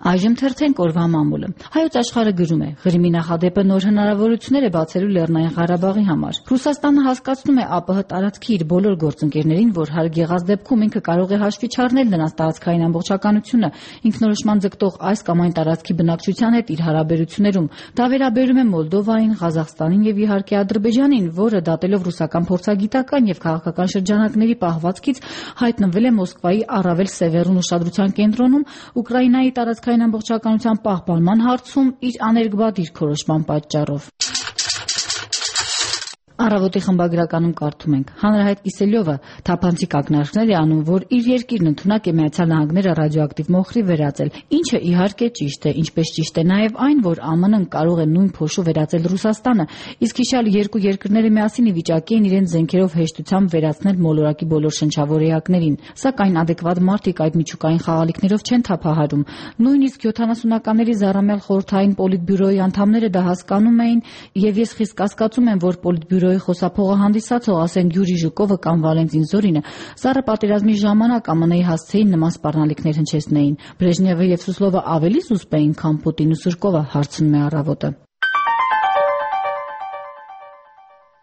Այժմ թերթենք օրվա մամուլը։ Հայոց աշխարհը գրում է. Ղրիմի նախադեպը նոր հնարավորություններ է բացելու Լեռնային Ղարաբաղի համար։ Ռուսաստանը հասկացնում է ԱՊՀ տարածքի իր բոլոր գործընկերներին, որ հարկ եղած դեպքում ինքը կարող է հաշվի չառնել նրանց տարածքային ամբողջականությունը, ինքնորոշման ձգտող այս կամ այն տարածքի բնակչության հետ իր հարաբերություններում։ Դա վերաբերում է Մոլդովային, Ղազախստանին եւ իհարկե Ադրբեջանին, որը դատելով ռուսական փորձագիտական եւ քաղաքական շրջանակների պահվածքից հայտնվել է Մոսկվայի առավել սևեռուն ուշադրության կենտրոնում Ուկրաինայի տարածքային ամբողջականության պահպանման հարցում իր աներկբա դիրքորոշման պատճառով։ Առավոտի խմբագրականում կարդում ենք. Հանրահայտ Կիսելյովը թափանցիկ ակնարկներ է անում, որ իր երկիրն ընդունակ է Միացյալ Նահանգները ռադիոակտիվ մոխրի վերածել, ինչը իհարկե ճիշտ է, ինչպես ճիշտ է նաև այն, որ ԱՄՆ-ն կարող է նույն փոշու վերածել Ռուսաստանը, իսկ հիշյալ երկու երկրները միասին ի վիճակի են իրենց զենքերով հեշտությամբ վերացնել մոլորակի բոլոր շնչավոր էակներին, սակայն ադեկվատ մարդիկ այդ միջուկային խաղալիքներով չեն թափահարում։ Նույնիսկ 70-ականների Զառամյալ խորհրդային Պոլիտբյուրոյի անդամները դա հասկանում էին, եւ ես խիստ կասկածում եմ, որ Պոլիտբյուրոյի խոսափողը հանդիսացող, ասենք Յուրի Ժուկովը կամ Վալենտին Զորինը, Սառը պատերազմի ժամանակ ԱՄՆ-ի հասցեին նման սպառնալիքներ հնչեցնեին։ Բրեժնևը եւ Սուսլովը ավելի զուսպ էին, քան Պուտին ու Սուրկովը, հարցնում է Առավոտը։